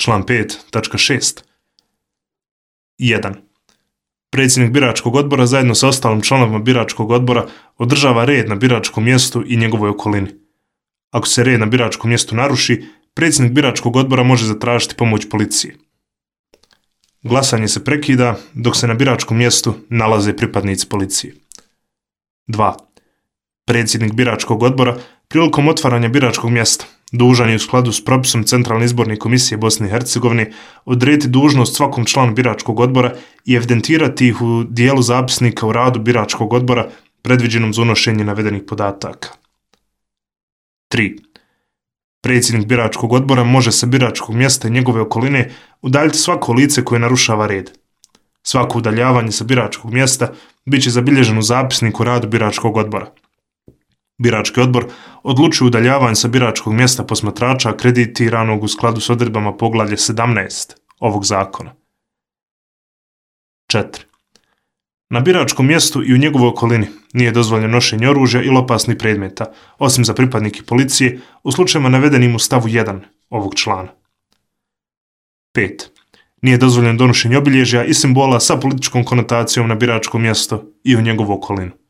Član 5.6. 1. Predsjednik biračkog odbora zajedno sa ostalim članovima biračkog odbora održava red na biračkom mjestu i njegovoj okolini. Ako se red na biračkom mjestu naruši, predsjednik biračkog odbora može zatražiti pomoć policije. Glasanje se prekida dok se na biračkom mjestu nalaze pripadnici policije. 2. Predsjednik biračkog odbora prilikom otvaranja biračkog mjesta dužan je u skladu s propisom Centralne izborne komisije Bosne i Hercegovine odrediti dužnost svakom članu biračkog odbora i evidentirati ih u dijelu zapisnika o radu biračkog odbora predviđenom za unošenje navedenih podataka. 3. Predsjednik biračkog odbora može sa biračkog mjesta i njegove okoline udaljiti svako lice koje narušava red. Svako udaljavanje sa biračkog mjesta bit će zabilježeno u zapisniku o radu biračkog odbora. Birački odbor odlučuje udaljavanje sa biračkog mjesta posmatrača akreditiranog u skladu s odredbama poglavlja 17 ovog zakona. 4. Na biračkom mjestu i u njegovoj okolini nije dozvoljeno nošenje oružja ili opasnih predmeta, osim za pripadnike policije u slučajevima navedenim u stavu 1 ovog člana. 5. Nije dozvoljeno donošenje obilježja i simbola sa političkom konotacijom na biračkom mjesto i u njegovu okolinu.